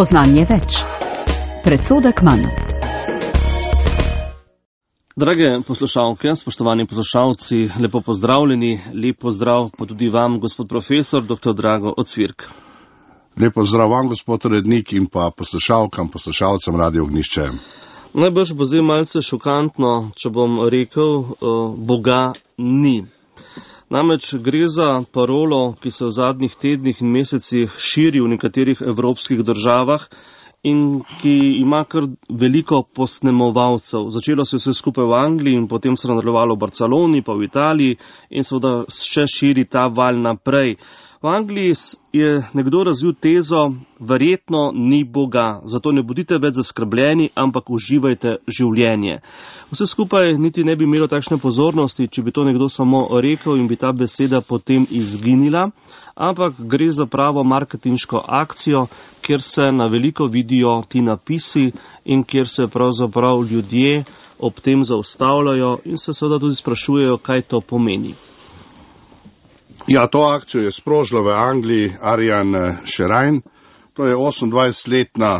Spoznanje več. Predsodek manj. Drage poslušalke, spoštovani poslušalci, lepo pozdravljeni, lep pozdrav pa tudi vam, gospod profesor, dr. Drago Ocvirk. Lep pozdrav vam, gospod urednik, in pa poslušalcem Radio Ognjišče. Najbrž bo zdaj malce šokantno, če bom rekel, Boga ni. Namreč gre za parolo, ki se v zadnjih tednih in mesecih širi v nekaterih evropskih državah in ki ima kar veliko posnemovalcev. Začelo se vse skupaj v Angliji in potem se nadaljevalo v Barceloni, pa v Italiji in seveda še širi ta val naprej. V Angliji je nekdo razvil tezo, verjetno ni Boga, zato ne bodite več zaskrbljeni, ampak uživajte življenje. Vse skupaj niti ne bi imelo takšne pozornosti, če bi to nekdo samo rekel in bi ta beseda potem izginila, ampak gre za pravo marketinško akcijo, kjer se na veliko vidijo ti napisi in kjer se pravzaprav ljudje ob tem zaustavljajo in se seveda tudi sprašujejo, kaj to pomeni. Ja, to akcijo je sprožila v Angliji Ariane Sherine. To je 28-letna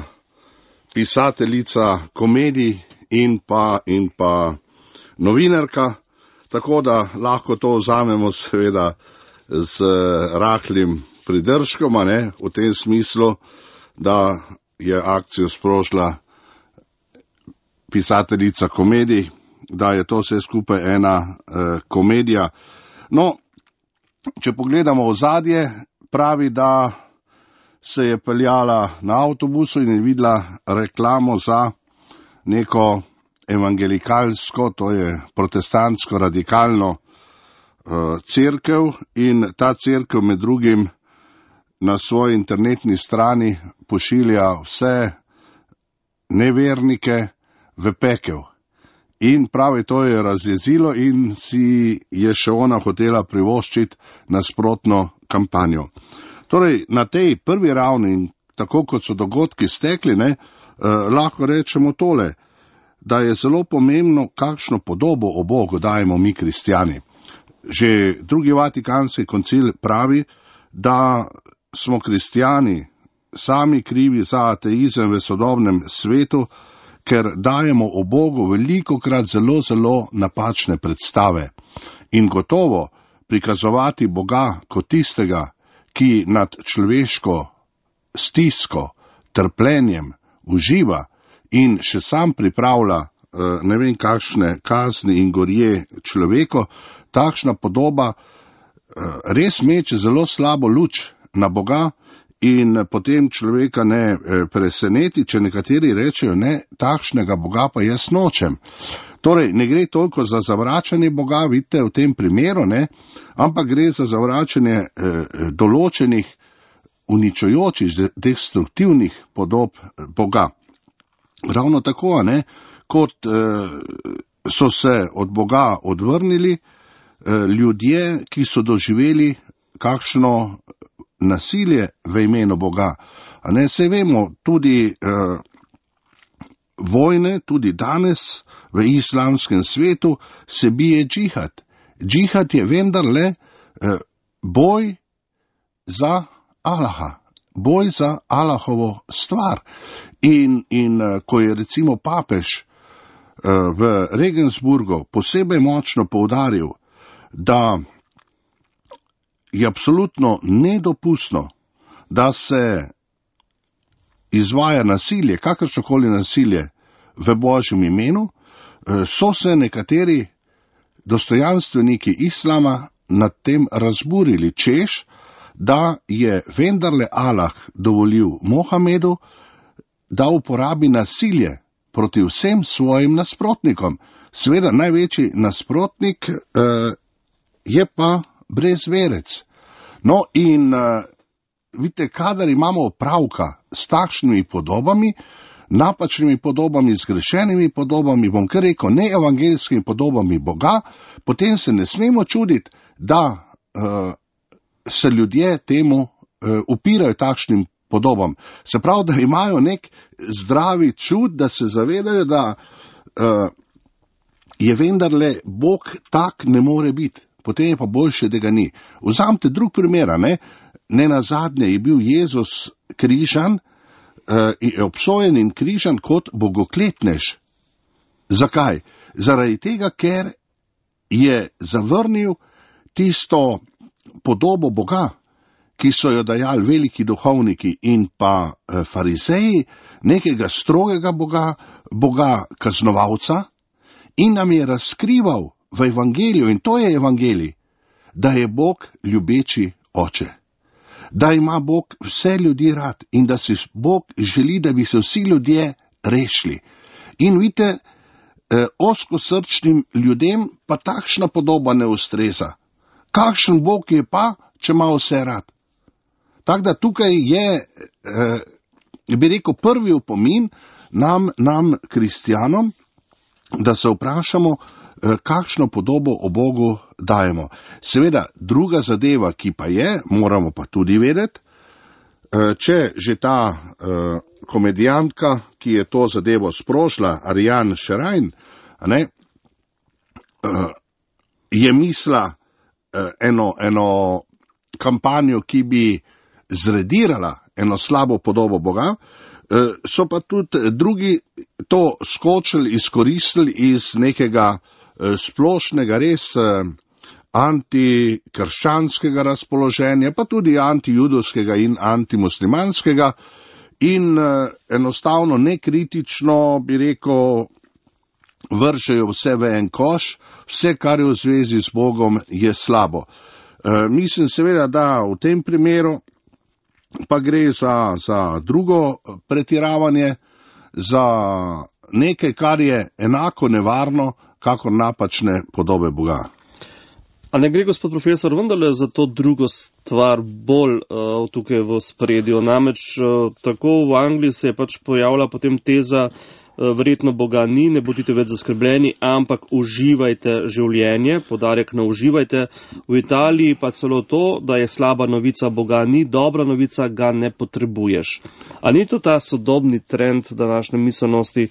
pisateljica komedij in pa novinarka, tako da lahko to vzamemo seveda z rahlim pridržkom, v tem smislu, da je akcijo sprožila pisateljica komedij, da je to vse skupaj ena komedija. No, če pogledamo ozadje, pravi, da se je peljala na avtobusu in je videla reklamo za neko evangelikalsko, to je protestantsko radikalno cerkev, in ta cerkev med drugim na svoji internetni strani pošilja vse nevernike v pekel. In pravi, to je razjezilo in si je še ona hotela privoščiti nasprotno kampanjo. Torej, na tej prvi ravni, tako kot so dogodki stekli, lahko rečemo tole, da je zelo pomembno, kakšno podobo o Bogu dajemo mi kristjani. Že drugi Vatikanski koncil pravi, da smo kristjani sami krivi za ateizem v sodobnem svetu, ker dajemo o Bogu velikokrat zelo napačne predstave. In gotovo prikazovati Boga kot tistega, ki nad človeško stisko, trpljenjem uživa in še sam pripravlja ne vem kakšne kazni in gorje človeko, takšna podoba res meče zelo slabo luč na Boga. In potem človeka ne preseneti, če nekateri rečejo, ne, takšnega Boga pa jaz nočem. Torej, ne gre toliko za zavračanje Boga, vidite, v tem primeru, ampak gre za zavračanje določenih uničujočih, destruktivnih podob Boga. Ravno tako, kot so se od Boga odvrnili ljudje, ki so doživeli kakšno nasilje v imenu Boga. Saj vemo, tudi vojne, tudi danes v islamskem svetu se bije džihad. Džihad je vendarle boj za Allaha, boj za Allahovo stvar. In ko je recimo papež v Regensburgu posebej močno poudaril, da je absolutno nedopustno, da se izvaja nasilje, kakršnokoli nasilje v Božjem imenu, so se nekateri dostojanstveniki islama nad tem razburili, češ, da je vendarle Allah dovolil Mohamedu, da uporabi nasilje proti vsem svojim nasprotnikom. Seveda največji nasprotnik je pa brezverec. No in vidite, kadar imamo opravka s takšnimi podobami, napačnimi podobami, zgrešenimi podobami, bom kar rekel, neevangeljskimi podobami Boga, potem se ne smemo čuditi, da se ljudje temu upirajo takšnim podobam. Se pravi, da imajo nek zdravi čut, da se zavedajo, da je vendarle Bog tak ne more biti. Potem je pa boljše, da ga ni. Vzamite drug primer, ne nazadnje je bil Jezus križan je obsojen in križan kot bogokletnež. Zakaj? Zaradi tega, ker je zavrnil tisto podobo Boga, ki so jo dajali veliki duhovniki in pa farizeji, nekega strogega Boga, Boga kaznovalca, in nam je razkrival v evangeliju, in to je evangelij, da je Bog ljubeči oče, da ima Bog vse ljudi rad in da si Bog želi, da bi se vsi ljudje rešili. In vidite, ozkosrčnim ljudem pa takšna podoba ne ustreza. Kakšen Bog je pa, če ima vse rad? Tako da tukaj je, bi rekel, prvi opomin nam kristjanom, da se vprašamo, kakšno podobo o Bogu dajemo. Seveda, druga zadeva, ki pa je, moramo pa tudi vedeti, če že ta komedijantka, ki je to zadevo sprožila, Ariane Šerajn, je mislila eno kampanjo, ki bi zredirala eno slabo podobo Boga, so pa tudi drugi to skočili, izkoristili iz nekega splošnega, res antikrščanskega razpoloženja, pa tudi antijudovskega in antimuslimanskega, in enostavno nekritično, bi rekel, vržejo vse v en koš, vse, kar je v zvezi z Bogom, je slabo. Mislim seveda, da v tem primeru pa gre za drugo pretiravanje, za nekaj, kar je enako nevarno, kakor napačne podobe Boga. A ne gre, gospod profesor, vendarle za to drugo stvar bolj tukaj v spredju? Namreč tako v Angliji se je pač pojavila potem teza, verjetno Boga ni, ne bodite več zaskrbljeni, ampak uživajte življenje, poudarek na uživajte. V Italiji pa celo to, da je slaba novica Boga ni, dobra novica ga ne potrebuješ. A ni to ta sodobni trend današnje miselnosti,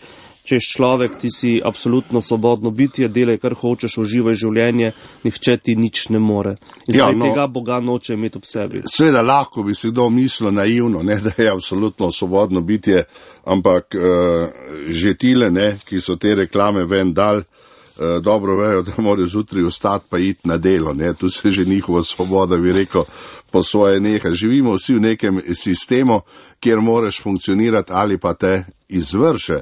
češ človek, ti si absolutno svobodno bitje, delaj kar hočeš, uživaj življenje, nihče ti nič ne more. In tega Boga noče imeti ob sebi. Seveda lahko bi si kdo mislil naivno, da je absolutno svobodno bitje, ampak že tile, ki so te reklame ven dal, dobro vejo, da morajo zjutraj vstati pa iti na delo. Tu se že njihova svoboda, bi rekel, po svoje neha. Živimo vsi v nekem sistemu, kjer moraš funkcionirati ali pa te izvrše.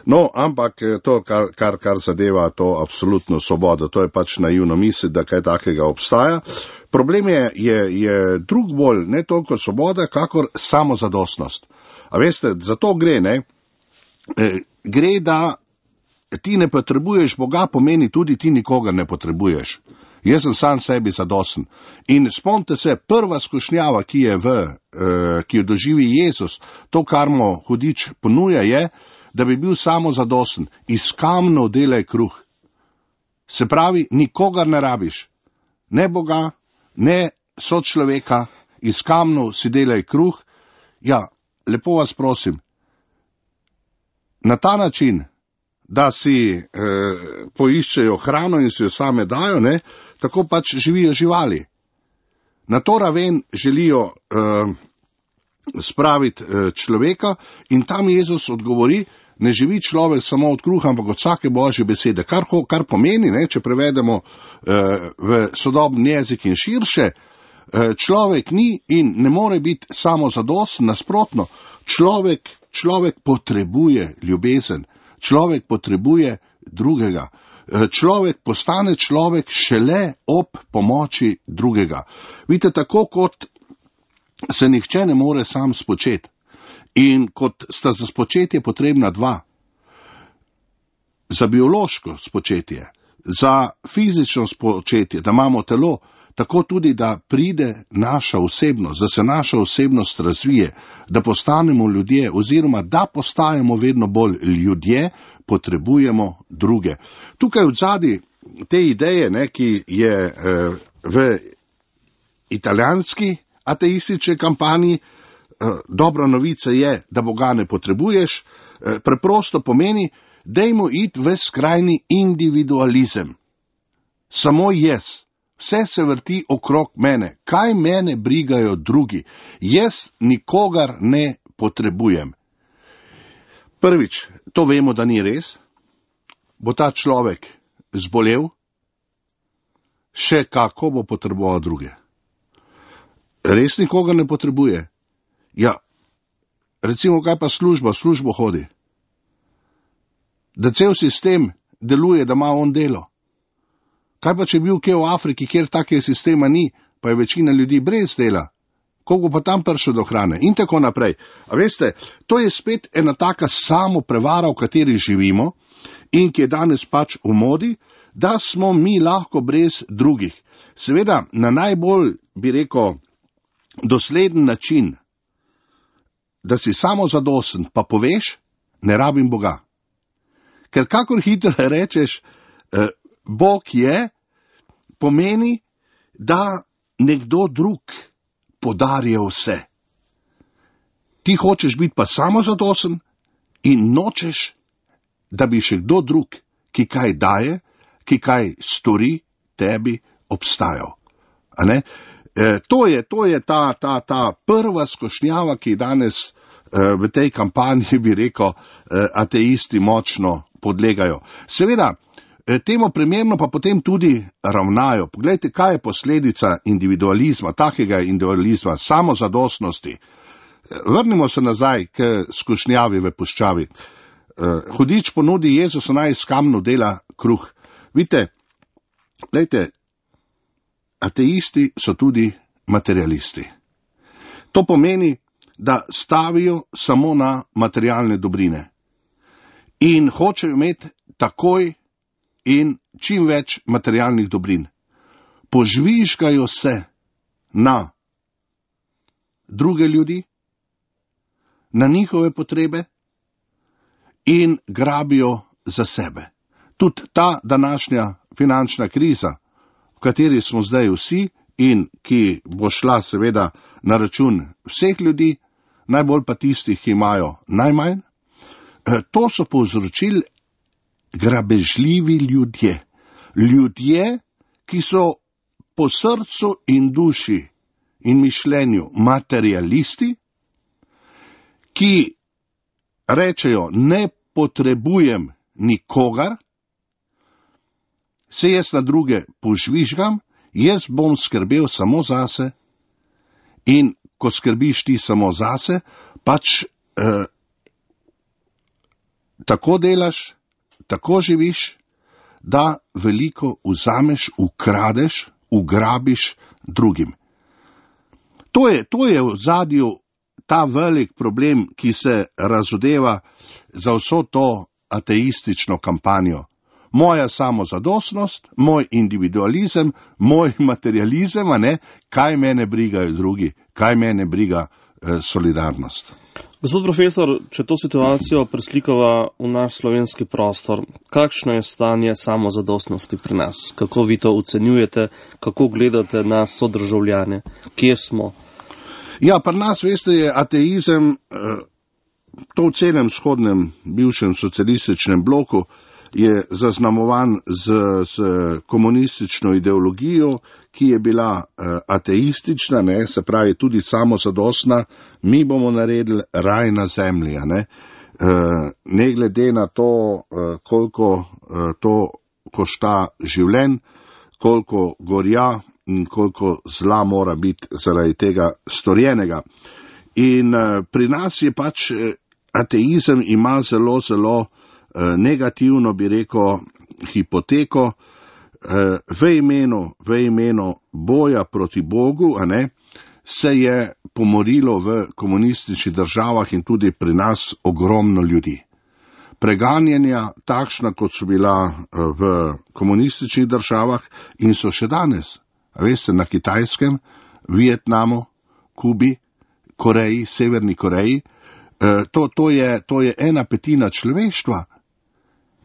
No, ampak to, kar zadeva to absolutno svobodo, to je pač naivno misliti, da kaj takega obstaja. Problem je drug bolj, ne toliko svoboda, kakor samozadostnost. A veste, za to gre, gre, da ti ne potrebuješ Boga, pomeni tudi ti nikogar ne potrebuješ. Jaz sem sam sebi zadosten. In spomnite se, prva skušnjava, ki jo doživi Jezus, to, kar mu hudič ponuja, je, da bi bil samozadosten. Iz kamnov delaj kruh. Se pravi, nikogar ne rabiš. Ne Boga, ne sočloveka, iz kamnov si delaj kruh. Ja, lepo vas prosim, na ta način, da si poiščejo hrano in si jo same dajo, tako pač živijo živali. Na to raven želijo spraviti človeka in tam Jezus odgovori, ne živi človek samo od kruha, ampak od vsake božje besede. Kar pomeni, če prevedemo v sodobni jezik in širše, človek ni in ne more biti samozadosten, nasprotno, človek potrebuje ljubezen, človek potrebuje drugega. Človek postane človek šele ob pomoči drugega. Vidite, tako kot se nihče ne more sam spočeti in kot sta za spočetje potrebna dva. Za biološko spočetje, za fizično spočetje, da imamo telo, tako tudi, da pride naša osebnost, da se naša osebnost razvije, da postanemo ljudje oziroma da postajamo vedno bolj ljudje, potrebujemo druge. Tukaj odzadi te ideje, ki je v italijanski ateistični kampanji, dobra novica je, da Boga ne potrebuješ, preprosto pomeni, dajmo iti v skrajni individualizem. Samo jaz. Vse se vrti okrog mene. Kaj mene brigajo drugi? Jaz nikogar ne potrebujem. Prvič, to vemo, da ni res, bo ta človek zbolel, še kako bo potreboval druge. Res nikoga ne potrebuje. Ja, recimo, kaj pa služba, v službo hodi. Da cel sistem deluje, da ima on delo. Kaj pa, če bil kje v Afriki, kjer takega sistema ni, pa je večina ljudi brez dela, koliko pa tam prišel do hrane in tako naprej. A veste, to je spet ena taka samo prevara, v kateri živimo in ki je danes pač v modi, da smo mi lahko brez drugih. Seveda, na najbolj, bi rekel, dosleden način, da si samozadosten, pa poveš, ne rabim Boga. Ker kakor hitro rečeš, Bog je, pomeni, da nekdo drug podarja vse. Ti hočeš biti pa samozadosten in nočeš, da bi še kdo drug, ki kaj daje, ki kaj stori, tebi obstajal. A ne? To je ta prva skošnjava, ki danes v tej kampanji, bi rekel, ateisti močno podlegajo. Seveda, temu primerno pa potem tudi ravnajo. Poglejte, kaj je posledica individualizma, takega individualizma, samozadostnosti. Vrnimo se nazaj k skušnjavi v puščavi. Hudič ponudi Jezusu, naj iz kamnu dela kruh. Vidite, glejte, ateisti so tudi materialisti. To pomeni, da stavijo samo na materialne dobrine in hočejo imeti takoj in čim več materialnih dobrin. Požvižgajo se na druge ljudi, na njihove potrebe in grabijo za sebe. Tudi ta današnja finančna kriza, v kateri smo zdaj vsi in ki bo šla seveda na račun vseh ljudi, najbolj pa tistih, ki imajo najmanj, to so povzročili grabežljivi ljudje. Ljudje, ki so po srcu in duši in mišljenju materialisti, ki rečejo, ne potrebujem nikogar, se jaz na druge požvižgam, jaz bom skrbel samo zase in ko skrbiš ti samo zase, pač tako delaš, tako živiš, da veliko vzameš, ukradeš, ugrabiš drugim. To je v zadju ta velik problem, ki se razodeva za vso to ateistično kampanjo. Moja samozadostnost, moj individualizem, moj materializem, a ne, kaj mene brigajo drugi, kaj mene briga solidarnost. Gospod profesor, če to situacijo preslikava v naš slovenski prostor, kakšno je stanje samozadostnosti pri nas? Kako vi to ocenjujete, kako gledate na sodržavljane? Kje smo? Ja, pri nas, veste, je ateizem, to v celem vzhodnem, bivšem socialističnem bloku, je zaznamovan z komunistično ideologijo, ki je bila ateistična, ne, se pravi tudi samozadostna, mi bomo naredili raj na zemlji, ne glede na to, koliko to košta življenj, koliko gorja in koliko zla mora biti zaradi tega storjenega. In pri nas je pač ateizem ima zelo, zelo negativno, bi rekel, hipoteko, v imenu boja proti Bogu, se je pomorilo v komunističnih državah in tudi pri nas ogromno ljudi. Preganjanja takšna, kot so bila v komunističnih državah in so še danes, veste, na Kitajskem, Vietnamu, Kubi, Koreji, Severni Koreji, to je 1/5 človeštva,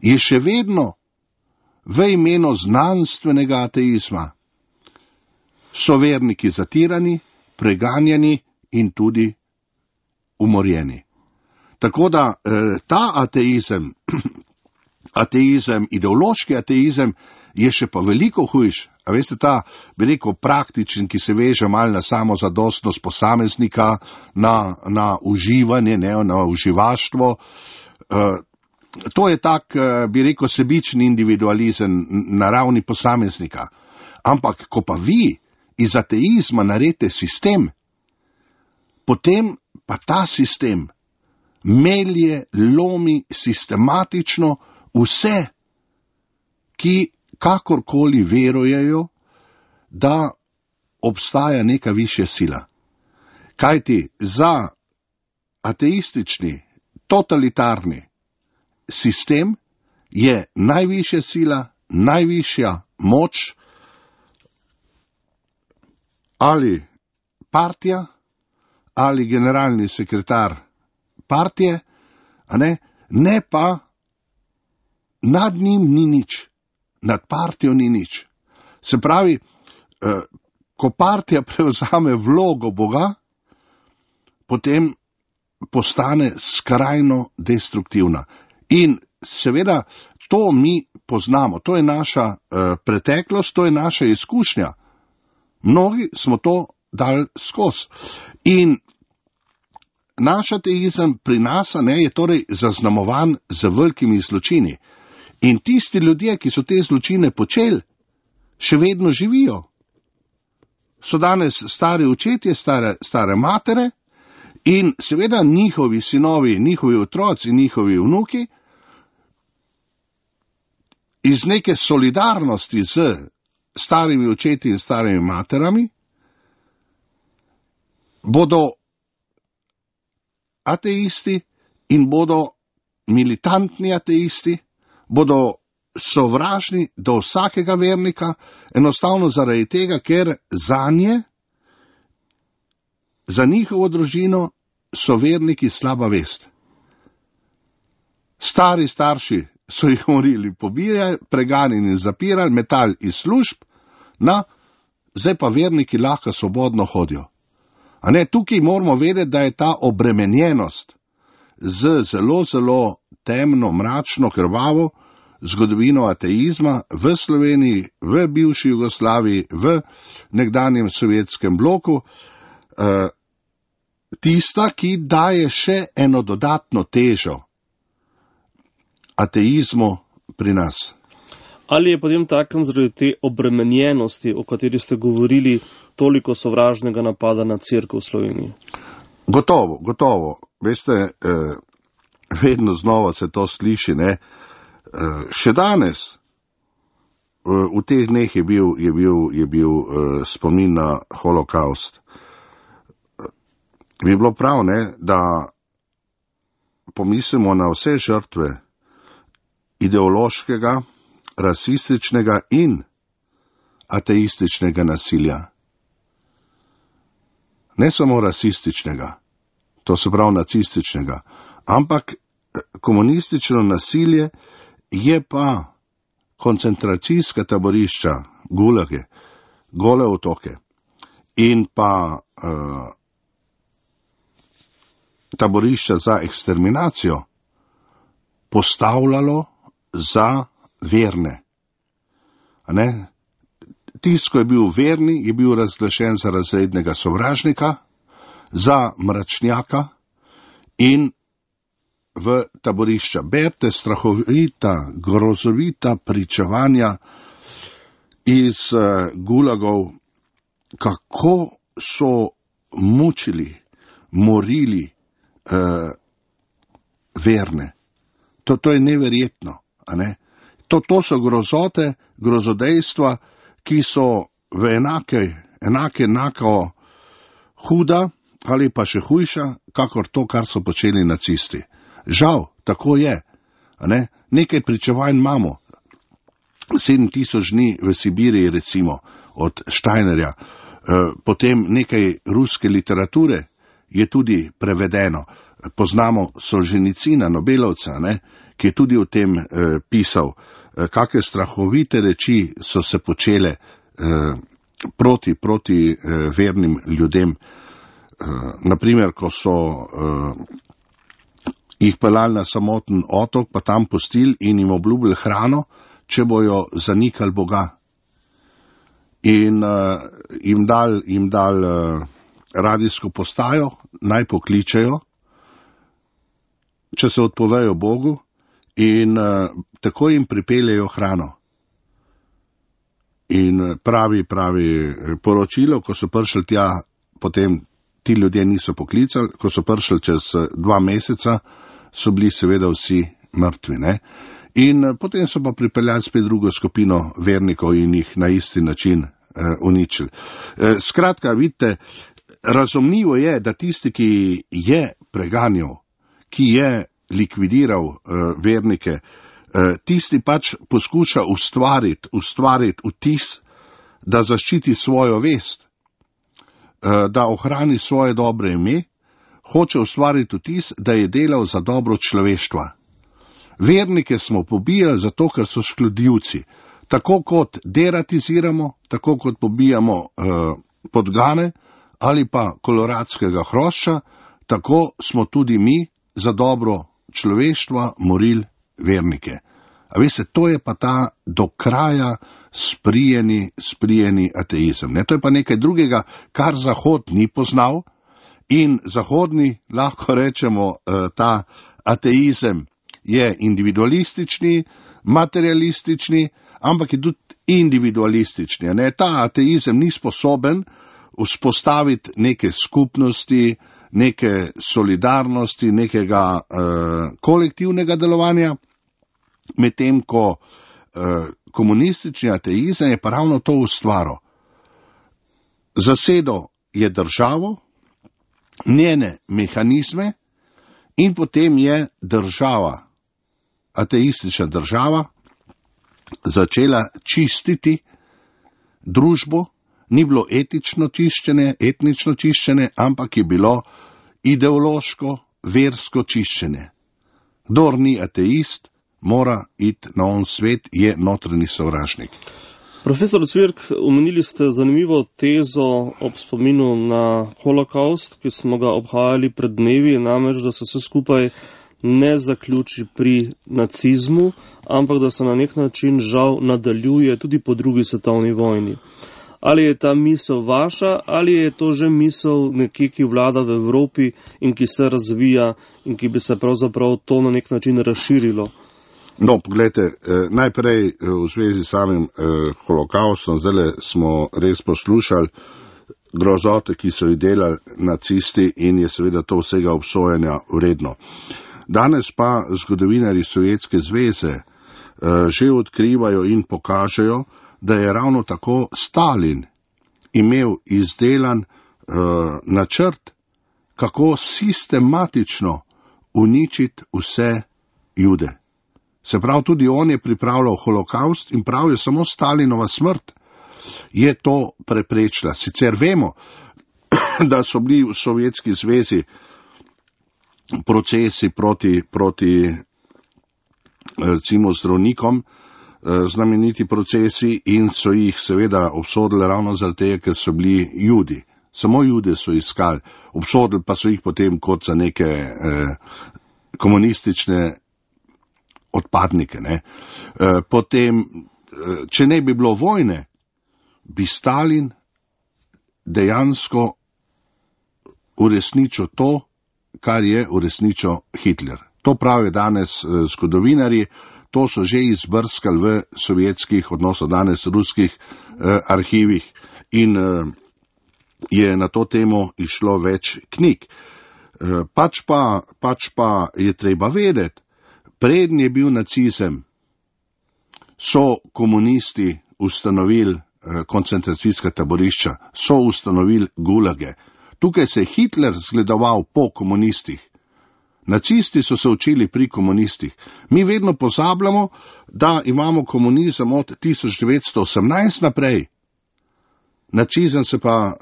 je še vedno v imenu znanstvenega ateizma. So verniki zatirani, preganjani in tudi umorjeni. Tako da ta ateizem, ideološki ateizem, je še pa veliko hujš. A veste, ta, bi rekel, praktičen, ki se veže malo na samozadostnost posameznika, na uživanje, na uživaštvo, To je tak, bi rekel, sebični individualizem na ravni posameznika. Ampak, ko pa vi iz ateizma naredite sistem, potem pa ta sistem melje, lomi sistematično vse, ki kakorkoli verujejo, da obstaja neka višja sila. Kajti za ateistični, totalitarni sistem je najvišja sila, najvišja moč ali partija, ali generalni sekretar partije, ne pa nad njim ni nič, nad partijo ni nič. Se pravi, ko partija prevzame vlogo Boga, potem postane skrajno destruktivna. In seveda to mi poznamo, to je naša preteklost, to je naša izkušnja. Mnogi smo to dali skozi. In naš ateizem pri nas je torej zaznamovan z velikimi zločini. In tisti ljudje, ki so te zločine počeli, še vedno živijo. So danes stari očetje, stare matere in seveda njihovi sinovi, njihovi otroci in njihovi vnuki iz neke solidarnosti z starimi očeti in starimi materami bodo ateisti in bodo militantni ateisti, bodo sovražni do vsakega vernika, enostavno zaradi tega, ker za njihovo družino so verniki slaba vest. Stari starši so jih morili pobijali, preganjali in zapirali, metali iz služb, zdaj pa verniki lahko svobodno hodijo. Tukaj moramo vedeti, da je ta obremenjenost z zelo, zelo temno, mračno, krvavo zgodovino ateizma v Sloveniji, v bivši Jugoslaviji, v nekdanjem sovjetskem bloku, tista, ki daje še eno dodatno težo ateizmu pri nas. Ali je potem takem zaradi te obremenjenosti, o kateri ste govorili, toliko sovražnega napada na cerkev v Sloveniji? Gotovo. Veste, vedno znova se to sliši, še danes, v teh dneh je bil spomin na holokaust. Bi bilo prav, da pomislimo na vse žrtve ideološkega, rasističnega in ateističnega nasilja. Ne samo rasističnega, to se pravi nacističnega, ampak komunistično nasilje je pa koncentracijska taborišča, gulage, gole otoke in pa taborišča za eksterminacijo postavljalo za verne. Tisti, ko je bil verni, je bil razglašen za razrednega sovražnika, za mračnjaka in v taborišča. Berite strahovita, grozovita pričevanja iz gulagov, kako so mučili, morili verne. To je neverjetno. To so grozote, grozodejstva, ki so v enako huda ali pa še hujša, kakor to, kar so počeli nacisti. Žal, tako je. Nekaj pričevanj imamo. 7000 dni v Sibiriji, recimo, od Steinerja. Potem nekaj ruske literature je tudi prevedeno. Poznamo Solženicina, Nobelovca, ki je tudi o tem pisal, kakšne strahovite reči so se počele proti vernim ljudem. Naprimer, ko so jih peljali na samoten otok, pa tam pustili in jim obljubili hrano, če bojo zanikali Boga. In jim dal radijsko postajo, naj pokličejo, če se odpovejo Bogu in tako jim pripeljejo hrano. In pravi poročilo, ko so prišli tja, potem ti ljudje niso poklicali, ko so prišli čez 2 meseca, so bili seveda vsi mrtvi, ne? In potem so pa pripeljali spet drugo skupino vernikov in jih na isti način uničili. Skratka, vidite, razumljivo je, da tisti, ki je preganjal, ki je likvidiral vernike, tisti pač poskuša ustvariti vtis, da zaščiti svojo vest, da ohrani svoje dobre ime, hoče ustvariti vtis, da je delal za dobro človeštva. Vernike smo pobijali zato, ker so škodljivci. Tako kot deratiziramo, tako kot pobijamo podgane ali pa koloradskega hrošča, tako smo tudi mi za dobro človeštva morili vernike. A veste, to je pa ta do kraja sprijeni ateizem. Ne? To je pa nekaj drugega, kar Zahod ni poznal in zahodni, lahko rečemo, ta ateizem je individualistični, materialistični, ampak je tudi individualistični. Ne? Ta ateizem ni sposoben vzpostaviti neke skupnosti, neke solidarnosti, nekega kolektivnega delovanja, medtem ko komunistični ateizem je pa ravno to ustvaril. Zasedel je državo, njene mehanizme in potem je država, ateistična država, začela čistiti družbo. Ni bilo etnično čiščenje, ampak je bilo ideološko, versko čiščenje. Kdor ni ateist, mora iti na on svet, je notranji sovražnik. Profesor Cvirk, omenili ste zanimivo tezo ob spominu na holokaust, ki smo ga obhajali pred dnevi, namreč, da se vse skupaj ne zaključi pri nacizmu, ampak da se na nek način žal nadaljuje tudi po 2. svetovni vojni. Ali je ta misel vaša, ali je to že misel nekje, ki vlada v Evropi in ki se razvija in ki bi se pravzaprav to na nek način razširilo? No, pogledajte, najprej v zvezi s samim holokaustom, zdaj smo res poslušali grozote, ki so jih delali nacisti in je seveda to vsega obsojanja vredno. Danes pa zgodovinarji Sovjetske zveze že odkrivajo in pokažejo, da je ravno tako Stalin imel izdelan načrt, kako sistematično uničiti vse Jude. Se pravi, tudi on je pripravljal holokaust in prav je samo Stalinova smrt je to preprečila. Sicer vemo, da so bili v Sovjetski zvezi procesi proti recimo zdravnikom, znameniti procesi in so jih seveda obsodili ravno zaradi tega, ker so bili Judi. Samo Jude so iskali, obsodili pa so jih potem kot za neke komunistične odpadnike. Ne? Potem, če ne bi bilo vojne, bi Stalin dejansko uresničil to, kar je uresničil Hitler. To pravijo danes zgodovinarji, to so že izbrskali v sovjetskih, odnosno danes ruskih arhivih in je na to temo išlo več knjig. Pač pa je treba vedeti, preden je bil nacizem, so komunisti ustanovili koncentracijska taborišča, so ustanovili gulage. Tukaj se je Hitler zgledoval po komunistih. Nacisti so se učili pri komunistih. Mi vedno pozabljamo, da imamo komunizem od 1918 naprej. Nacizem se pa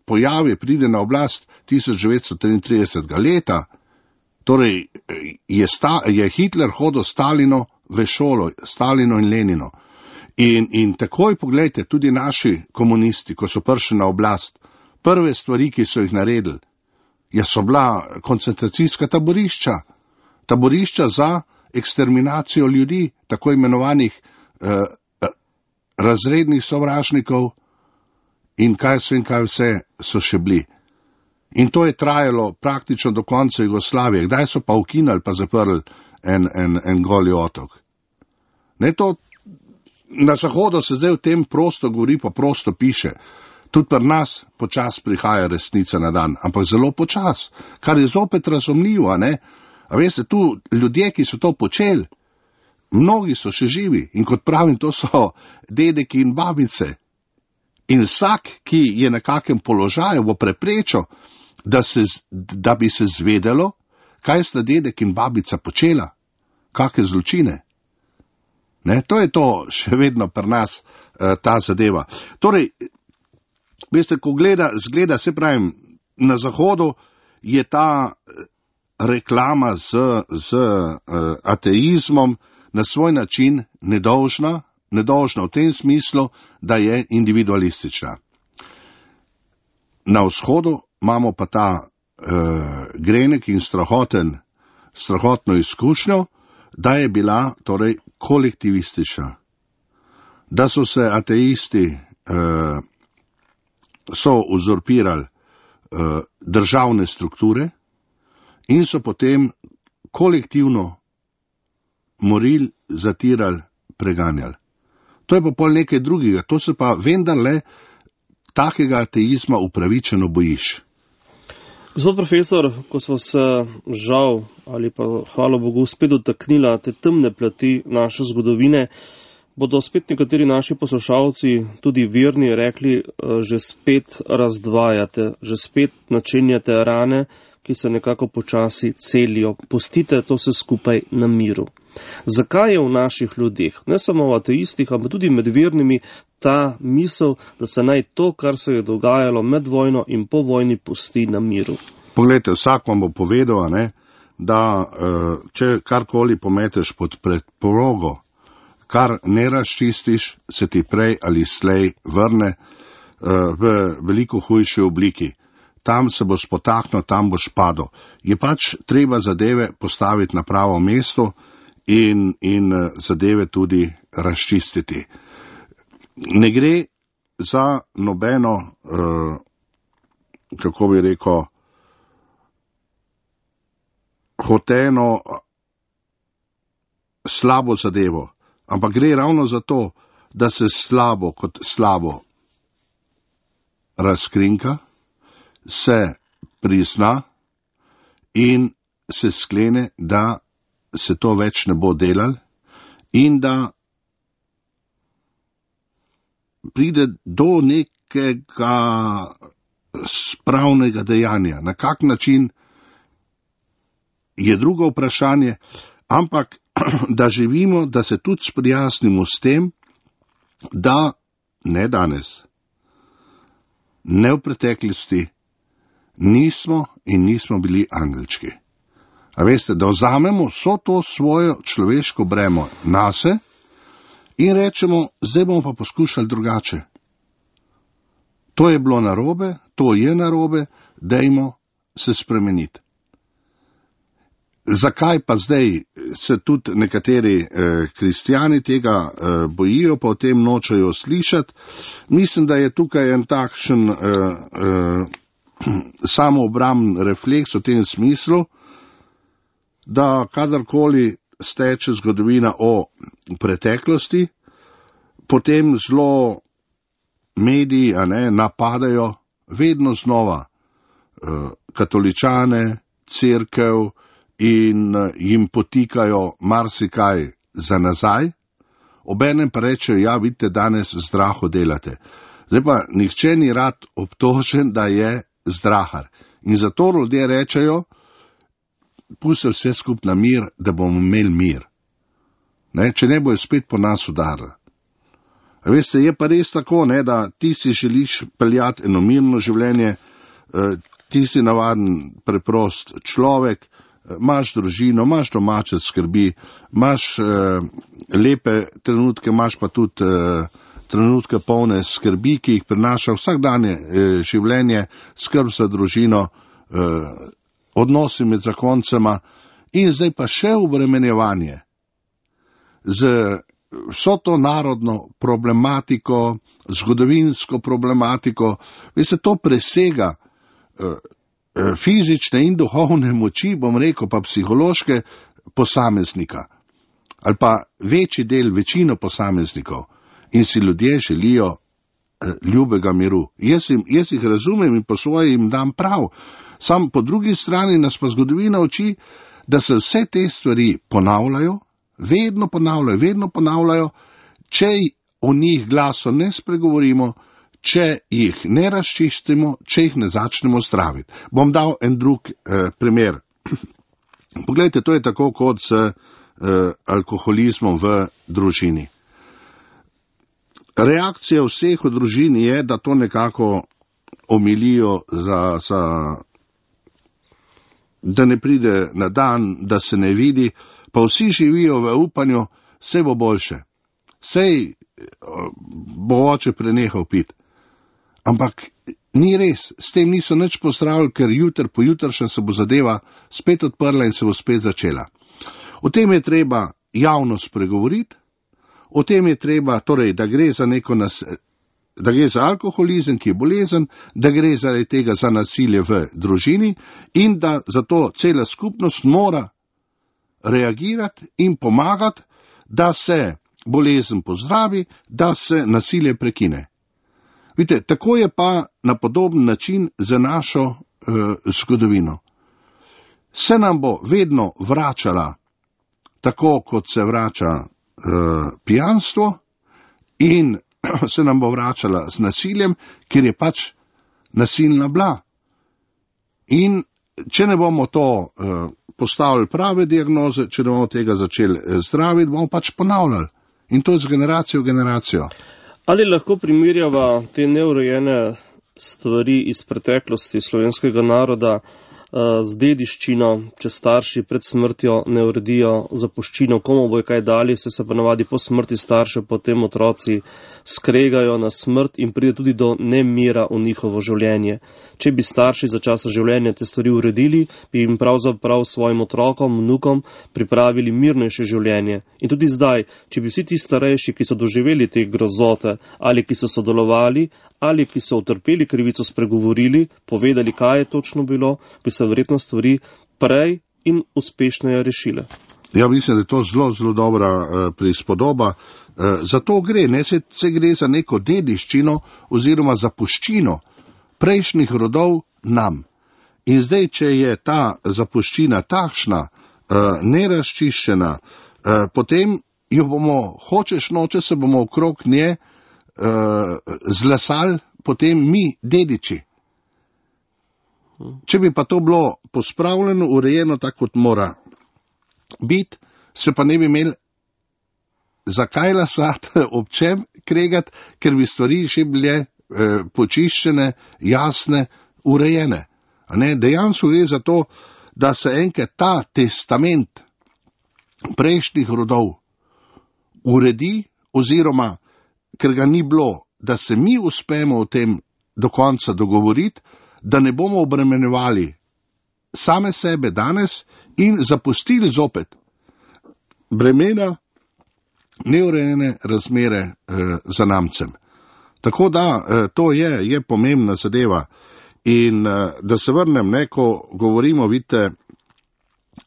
pojavi, pride na oblast 1933. leta. Torej je Hitler hodil Stalino v šolo, Stalino in Lenino. In takoj pogledajte, tudi naši komunisti, ko so prišli na oblast, prve stvari, ki so jih naredili, so bila koncentracijska taborišča za eksterminacijo ljudi, tako imenovanih razrednih sovražnikov in kaj vse so še bili. In to je trajalo praktično do konca Jugoslavije. Kdaj so pa ukinali pa zaprli en Goli otok? Ne, to na Zahodu se zdaj v tem prosto govori, pa prosto piše. Tudi pri nas počas prihaja resnica na dan, ampak zelo počas, kar je zopet razumljivo, a ne? A veste, tu ljudje, ki so to počeli, mnogi so še živi in kot pravim, to so dedeki in babice. In vsak, ki je na kakem položaju, bo preprečil, da bi se zvedelo, kaj sta dedek in babica počela, kakšne zločine. Ne, to je to še vedno pri nas ta zadeva. Torej, veste, ko zgleda, se pravim, na Zahodu je ta reklama z ateizmom na svoj način nedolžna v tem smislu, da je individualistična. Na Vzhodu imamo pa ta grenek in strahotno izkušnjo, da je bila torej kolektivistična. Da so se ateisti so uzurpirali državne strukture in so potem kolektivno morili, zatirali, preganjali. To je pa pol nekaj drugega, to se pa vendarle takega ateizma upravičeno bojiš. Gospod profesor, ko smo se žal ali pa hvala Bogu spet dotaknila te temne plati naše zgodovine, bodo spet nekateri naši poslušalci, tudi verni, rekli, že spet razdvajate, že spet načenjate rane, ki se nekako počasi celijo. Pustite to vse skupaj na miru. Zakaj je v naših ljudeh, ne samo v ateistih, ampak tudi med vernimi, ta misel, da se naj to, kar se je dogajalo med vojno in po vojni, pusti na miru? Poglejte, vsak vam bo povedal, ne, da če karkoli pometeš pod preprogo, kar ne razčistiš, se ti prej ali slej vrne v veliko hujši obliki. Tam se bo spotaknil, tam boš padel. Je pač treba zadeve postaviti na pravo mesto in zadeve tudi razčistiti. Ne gre za nobeno, kako bi rekel, hoteno slabo zadevo, ampak gre ravno za to, da se slabo kot slabo razkrinka, se prizna in se sklene, da se to več ne bo delal in da pride do nekega spravnega dejanja. Na kak način je drugo vprašanje, ampak da živimo, da se tudi sprijaznimo s tem, da ne danes, ne v preteklosti, nismo bili angelčki. A veste, da vzamemo vso to svojo človeško bremo nase in rečemo, zdaj bomo pa poskušali drugače. To je bilo narobe, to je narobe, dajmo se spremeniti. Zakaj pa zdaj se tudi nekateri kristjani tega bojijo, pa o tem nočejo slišati? Mislim, da je tukaj en takšen samoobramben refleks v tem smislu, da kadarkoli steče zgodovina o preteklosti, potem zelo mediji napadajo vedno znova katoličane, cerkev in jim potikajo marsikaj za nazaj, obenem pa rečejo, ja, vidite, danes zdraho delate. Zdaj pa nihče ni rad obtožen, da je zdrahar. In zato ljudje rečejo, pusti vse skup na mir, da bomo imeli mir. Ne, če ne bojo spet po nas udarili. Veste, je pa res tako, da ti si želiš peljati eno mirno življenje, ti si navaden preprost človek, imaš družino, imaš domače skrbi, imaš lepe trenutke, imaš pa tudi trenutke polne skrbi, ki jih prinaša vsakdanje življenje, skrb za družino, odnosi med zakoncema in zdaj pa še obremenjevanje z vso to narodno problematiko, zgodovinsko problematiko. Veste, to presega fizične in duhovne moči, bom rekel, pa psihološke posameznika. Ali pa večino posameznikov. In si ljudje želijo ljubega miru. Jaz jih razumem in po svoje jim dam prav. Sam po drugi strani nas pa zgodovina uči, da se vse te stvari ponavljajo, vedno ponavljajo, če o njih glaso ne spregovorimo, če jih ne razčistimo, če jih ne začnemo zdraviti. Bom dal en drug primer. Poglejte, to je tako kot z alkoholizmom v družini. Reakcija vseh v družini je, da to nekako omilijo, da ne pride na dan, da se ne vidi, pa vsi živijo v upanju, vse bo boljše. Sej bo oče prenehal piti. Ampak ni res, s tem niso nič pozdravili, ker jutr po jutršnjem se bo zadeva spet odprla in se bo spet začela. O tem je treba javno spregovoriti, o tem je treba, torej, da gre za alkoholizem, ki je bolezen, da gre zaradi tega za nasilje v družini in da zato cela skupnost mora reagirati in pomagati, da se bolezen pozdravi, da se nasilje prekine. Vidite, tako je pa na podoben način za našo zgodovino. Se nam bo vedno vračala tako, kot se vrača pijanstvo in se nam bo vračala z nasiljem, ker je pač nasilna bila. In če ne bomo to postavili prave diagnoze, če ne bomo tega začeli zdraviti, bomo pač ponavljali. In to je z generacijo v generacijo. Ali lahko primerjava te neurejene stvari iz preteklosti slovenskega naroda z dediščino, če starši pred smrtjo ne uredijo zapuščino, komu bojo kaj dali, se pa navadi po smrti staršev, potem otroci skregajo na smrt in pride tudi do nemira v njihovo življenje. Če bi starši za časa življenja te stvari uredili, bi jim pravzaprav svojim otrokom, vnukom pripravili mirnejše življenje. In tudi zdaj, če bi vsi ti starejši, ki so doživeli te grozote, ali ki so sodelovali, ali ki so utrpeli krivico, spregovorili, povedali, kaj je točno bilo, bi se verjetno stvari prej in uspešneje rešile. Ja, mislim, da je to zelo dobra prispodoba. Zato gre, ne se gre za neko dediščino oziroma zapuščino prejšnjih rodov nam. In zdaj, če je ta zapuščina takšna, nerazčiščena, potem jo bomo, hočeš noče, se bomo okrog nje zlesali potem mi, dediči. Če bi pa to bilo pospravljeno, urejeno tako, kot mora biti, se pa ne bi imeli zakaj lasati, ob čem kregati, ker bi stvari še bile počiščene, jasne, urejene. A ne, dejansko gre za to, da se enkrat ta testament prejšnjih rodov uredi, oziroma, ker ga ni bilo, da se mi uspemo o tem do konca dogovoriti, da ne bomo obremenjevali same sebe danes in zapustili zopet bremena neurejene razmere za namcem. Tako da to je pomembna zadeva. In da se vrnem, ko govorimo, vidite,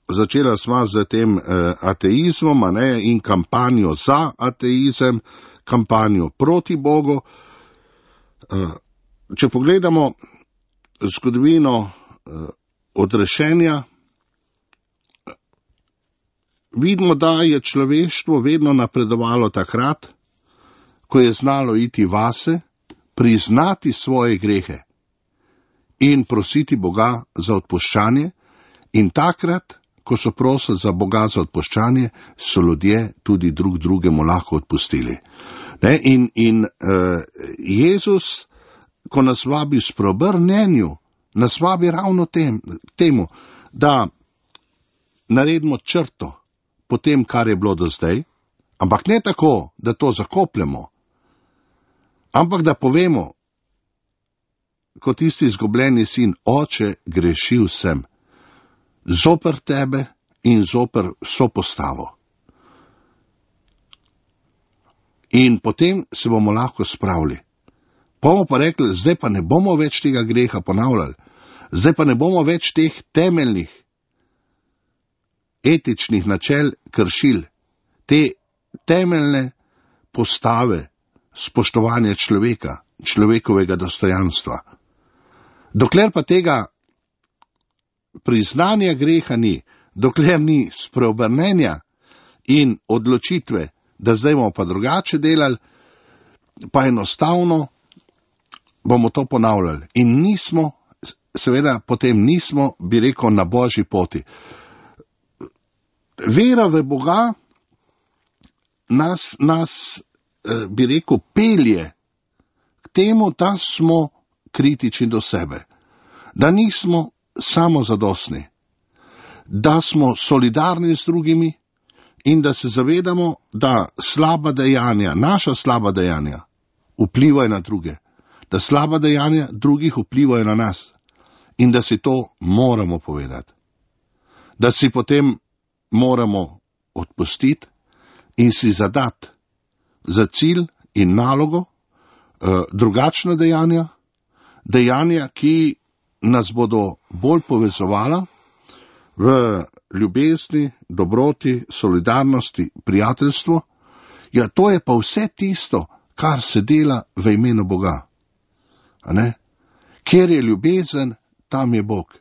začela sva z tem ateizmom, in kampanjo za ateizem, kampanjo proti Bogu. Če pogledamo zgodovino odrešenja, vidimo, da je človeštvo vedno napredovalo takrat, ko je znalo iti vase, priznati svoje grehe in prositi Boga za odpuščanje, in takrat, ko so prosili za Boga za odpuščanje, so ljudje tudi drug drugemu lahko odpustili. In Jezus, ko nas vabi s preobrnenju, nas vabi ravno temu, da naredimo črto po tem, kar je bilo do zdaj, ampak ne tako, da to zakopljemo, ampak da povemo, kot tisti izgubljeni sin, oče, grešil sem zoper tebe in zoper sopostavo. In potem se bomo lahko spravili. Bomo pa rekli, zdaj pa ne bomo več tega greha ponavljali. Zdaj pa ne bomo več teh temeljnih etičnih načel kršili, te temeljne postave spoštovanja človeka, človekovega dostojanstva. Dokler pa tega priznanja greha ni, dokler ni spreobrnenja in odločitve, da zdaj bomo pa drugače delali, pa enostavno bomo to ponavljali. In nismo, seveda potem nismo, bi rekel, na Božji poti. Vera v Boga nas bi rekel, pelje k temu, da smo kritični do sebe, da nismo samozadostni, da smo solidarni z drugimi in da se zavedamo, da slaba dejanja, naša slaba dejanja vplivajo na druge, da slaba dejanja drugih vplivajo na nas in da si to moramo povedati, da si potem moramo odpustiti in si zadati za cilj in nalogo drugačna dejanja, ki nas bodo bolj povezovala v ljubezni, dobroti, solidarnosti, prijateljstvu. Ja, to je pa vse tisto, kar se dela v imenu Boga. A ne? Kjer je ljubezen, tam je Bog.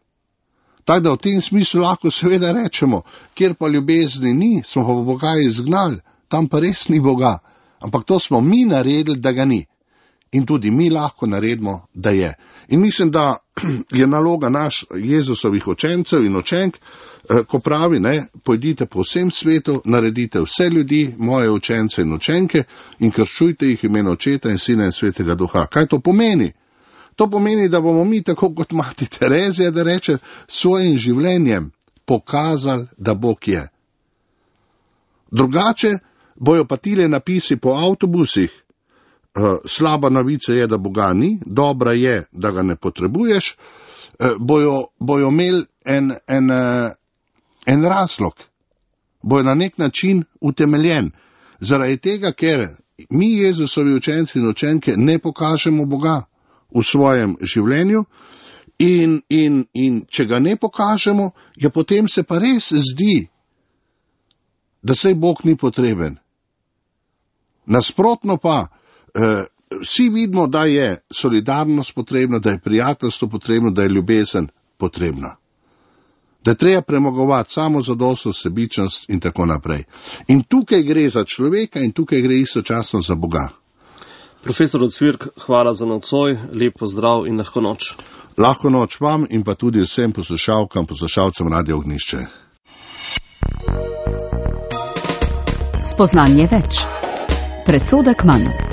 Tako da v tem smislu lahko seveda rečemo, kjer pa ljubezni ni, smo pa Boga izgnali, tam pa res ni Boga. Ampak to smo mi naredili, da ga ni. In tudi mi lahko naredimo, da je. In mislim, da je naloga naš Jezusovih učencev in učenk, ko pravi, pojdite po vsem svetu, naredite vse ljudi, moje učence in učenke, in krščujte jih imeno Očeta in Sina in Svetega Duha. Kaj to pomeni? To pomeni, da bomo mi, tako kot mati Terezija, da reče, svojim življenjem pokazali, da Bog je. Drugače bojo pa tile napisi po avtobusih, slaba novica je, da Boga ni, dobra je, da ga ne potrebuješ, bojo imeli en razlog, bojo na nek način utemeljen. Zaradi tega, ker mi, Jezusovi učenci in učenke, ne pokažemo Boga v svojem življenju in če ga ne pokažemo, ja potem se pa res zdi, da sej Bog ni potreben. Nasprotno pa, vsi vidimo, da je solidarnost potrebna, da je prijateljstvo potrebno, da je ljubezen potrebna. Da je treba premagovati samozadostnost, sebičnost in tako naprej. In tukaj gre za človeka in tukaj gre istočasno za Boga. Profesor Ocvirk, hvala za nocoj, lep pozdrav in lahko noč. Lahko noč vam in pa tudi vsem poslušalkam, poslušalcem Radio Ognjišče. Spoznanje več. Predsodek manj.